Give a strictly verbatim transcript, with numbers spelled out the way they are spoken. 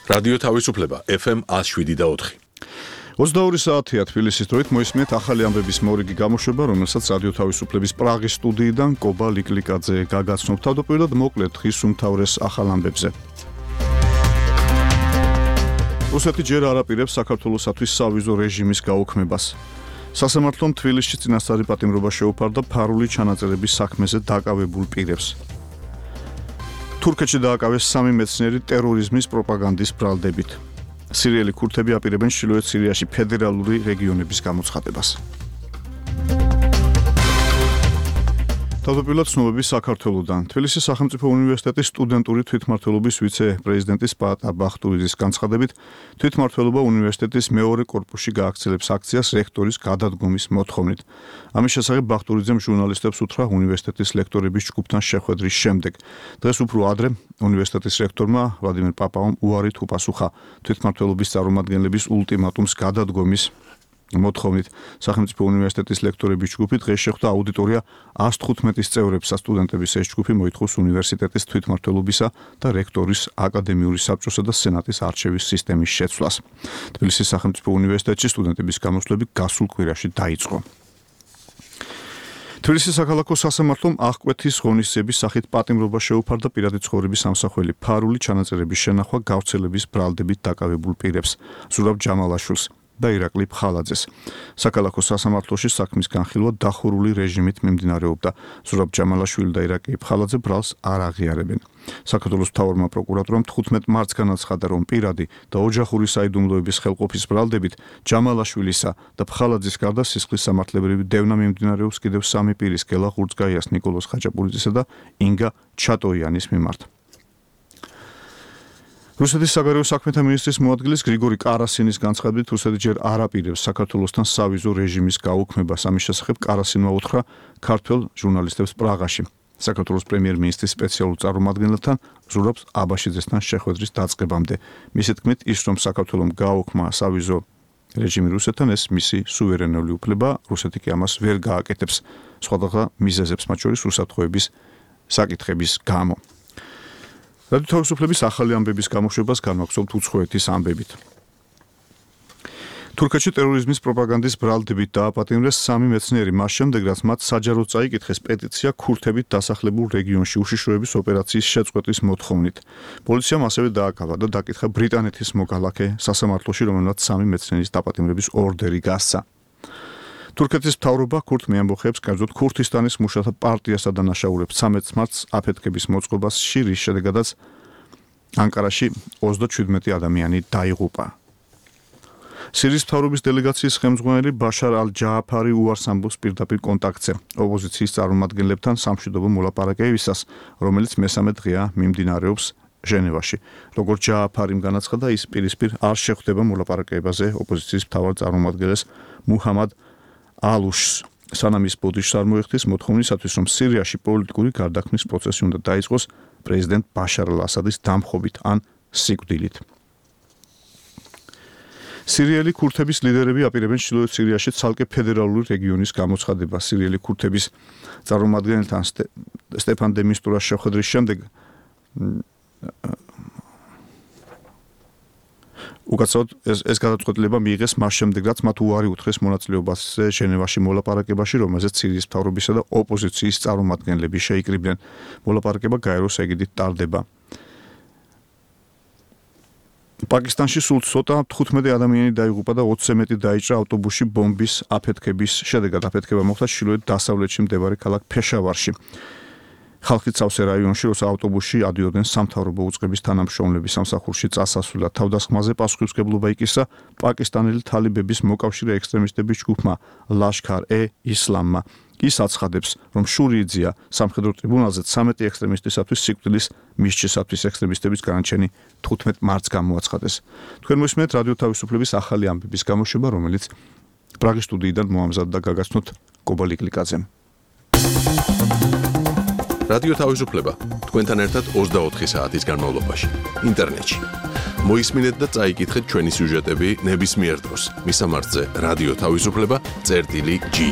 რადიო თავისუფლება ეფ ემ ათს შვიდი და ოთხი. ოცდაორი საათია თბილისის დროით მოისმენთ ახალი ამბების მორიგი გამოშვება, რომელსაც რადიო თავისუფლების პრაღის სტუდიიდან კობა ლიკლიკაძე გაგაცნობ. თავდაპირველად მოკლედ დღის უმთავრეს ახალ ამბებზე. რუსეთი ჯერ არ აპირებს საქართველოსათვის სავიზო რეჟიმის გაუქმებას. სასამართლომ თბილისში წინასწარი პატიმრობა შეუფარდა ფარული ჩანაწერების საქმეზე დაკავებულ პირებს. თურქეთში დააკავეს სამი მეცნიერი ტერორიზმის პროპაგანდის ბრალდებით. სირიელი ქურთები აპირებენ ჩრდილოეთ სირიაში ფედერალური რეგიონების გამოცხადებას. თავდაპირველად ცნობები საქართველოდან. თბილისის სახელმწიფო უნივერსიტეტის სტუდენტური თვითმმართველობის ვიცე-პრეზიდენტის პაატა ბახტურიძის განცხადებით, თვითმმართველობა უნივერსიტეტის მეორე კორპუსში გააგრძელებს აქციას რექტორის გადადგომის მოთხოვნით. ამის შესახებ ბახტურიძემ ჟურნალისტებს უთხრა უნივერსიტეტის ლექტორების ჯგუფთან შეხვედრის შემდეგ. დღეს უფრო ადრე უნივერსიტეტის რექტორმა ვლადიმერ პაპავომ უარით უპასუხა თვითმმართველობის წარმომადგენლების ულტიმატუმს გადადგომის მოთხოვნით. სახელმწიფო უნივერსიტეტის ლექტორების ჯგუფი დღეს შეხვდა აუდიტორია ას თხუთმეტის წევრებს. სტუდენტების ეს ჯგუფი მოითხოვს უნივერსიტეტის თვითმმართველობისა და რექტორის აკადემიური საბჭოსა და სენატის არჩევის სისტემის შეცვლას. თბილისის სახელმწიფო უნივერსიტეტში სტუდენტების გამოსვლები გასულ კვირაში დაიწყო. თბილისის საქალაქო სასამართლომ აღკვეთის ღონისძიების სახით პატიმრობა შეუფარდა პირადი ცხოვრების ამსახველი ფარული ჩანაწერების შენახვა გავრცელების ბრალდებით დაკავებულ პირებს. ზურაბ ჯამალაშვილს და ირაკლი ფხალაძეს. საქალაქო სასამართლოში საქმის განხილვა დახურული რეჟიმით მიმდინარეობდა. ზურაბ ჯამალაშვილი და ირაკლი ფხალაძე ბრალს არ აღიარებენ. საქართველოს მთავარმა პროკურატურამ თხუთმეტ მარტს განაცხადა, რომ პირადი და ოჯახური საიდუმლოების ხელყოფის ბრალდებით ჯამალაშვილისა და ფხალაძის გარდა სისხლის სამართლებრივი დევნა მიმდინარეობს კიდევ სამი პირის, გელა ღურძგაიას, ნიკოლოზ ხაჭაპურიძისა და ინგა ჩატოიანის მიმართ. რუსეთის საგარეო საქმეთა მინისტრის მოადგილის გრიგორი კარასინის განცხადებით, რუსეთი ჯერ არ აპირებს საქართველოსთან სავიზო რეჟიმის გაუქმებას. ამის შესახებ კარასინმა უთხრა ქართველ ჟურნალისტებს პრაღაში. საქართველოს პრემიერ-მინისტრის სპეციალურ წარმომადგენელთან ზურაბ აბაშიძესთან შეხვედრის დაწყებამდე. მისი თქმით, ის რომ საქართველომ გააუქმა სავიზო რეჟიმი რუსეთთან, ეს მისი სუვერენული უფლება, რუსეთი კი ამას ვერ გააკეთებს. სხვადასხვა მიზეზებს, მათ შორის რუსათხოვების საკითხების გამო. რადიო თავისუფლების ახალი ამბების გამოშვებას განვაგრძობთ უცხოეთის ამბებით. თურქეთში ტერორიზმის პროპაგანდის ბრალდებით დააპატიმრეს სამი მეცნიერი, მას შემდეგ, რაც მათ საჯაროდ წაიკითხეს პეტიცია ქურთებით დასახლებულ რეგიონში უშიშროების ოპერაციის შეწყვეტის მოთხოვნით. პოლიციამ ასევე დააკავა და დაკითხა ბრიტანეთის მოგალაკე სასამართლოში, რომელმაც სამი მეცნიერის დაპატიმრების ორდერი გასცა. თურქეთის მთავრობა ქურთ მეამბოხეებს, კერძოდ ქურთისტანის მუშათა პარტიასა და დანაშაულებს ცამეტ მარტს აფეთქების მოწყობაში, რის შედეგადაც ანკარაში ოცდაშვიდმეტი ადამიანი დაიღუპა. სირიის მთავრობის დელეგაციის ხელმძღვანელი ბაშარ ალ-ჯააფარი უარს ამბობს პირდაპირ კონტაქტზე ოპოზიციის წარმომადგენლებთან სამშვიდობო მოლაპარაკებისას, რომელიც მესამე დღეა მიმდინარეობს ჟენევაში. როგორც ჯააფარიმ განაცხადა, ის პირისპირ არ შეხვდება მოლაპარაკებაზე ოპოზიციის მთავარ წარმომადგენელს მუჰამად ალუშს, სანამ ის ბოდიშს არ მოეხდის მოთხოვნისათვის, რომ სირიაში პოლიტიკური გარდაქმნის პროცესი უნდა დაიწყოს პრეზიდენტ ბაშარ ალ-ასადის დამხობით ან სიკვდილით. სირიელი ქურთების ლიდერები აპირებენ ჩრდილოეთ სირიაში ცალკე ფედერალური რეგიონის გამოცხადებას. სირიელი ქურთების წარმომადგენელთან სტეფან დე მისტურას შეხვედრის შემდეგ უკაცრავად ეს, ეს გადაწყვეტილება მიიღეს მას შემდეგ, რაც მათ უარი უთხრეს მონაწილეობაზე ჟენევაში მოლაპარაკებაში, რომელზეც სირიის მთავრობისა და ოპოზიციის წარმომადგენლები შეიკრიბნენ. მოლაპარაკება გაეროს ეგიდით ტარდება. პაკისტანში სულ ცოტა თხუთმეტი ადამიანი დაიღუპა და ოცზე მეტი დაიჭრა ავტობუსში ბომბის აფეთქების შედეგად. აფეთქება მოხდა ჩრდილოეთ დასავლეთში მდებარე ქალაქ ფეშავარში. ხალხი ცავსე რაიონში, როცა ავტობუსში ადიოდნენ სამთავრობო უწყების თანამშრომლები სამსახურში წასასვლელად. თავდასხმაზე პასუხისმგებლობა იკისრა პაკისტანელი თალიბების მოკავშირე ექსტრემისტების ჯგუფმა ლაშქარ-ე-ისლამმა. ის აცხადებს, რომ შურიძია სამხედრო ტრიბუნალზე ცამეტი ექსტრემისტისათვის სიკვდილის მისჯისათვის ექსტრემისტების განაჩენი თხუთმეტ მარტს გამოაცხადეს. თქვენ მოსმენთ რადიო თავისუფლების ახალი ამბების გამოშვება, რომელიც პრაღის სტუდიიდან მოამზადდა გაგაცნოთ კობა ლიკლიკაძემ. რადიო თავისუფლება თქვენთან ერთად ოცდაოთხი საათის განმავლობაში ინტერნეტში. მოისმინეთ და წაიკითხეთ ჩვენი სიუჟეტები ნებისმიერ დროს. მისამართზე რადიო თავისუფლება წერტილი ჯი.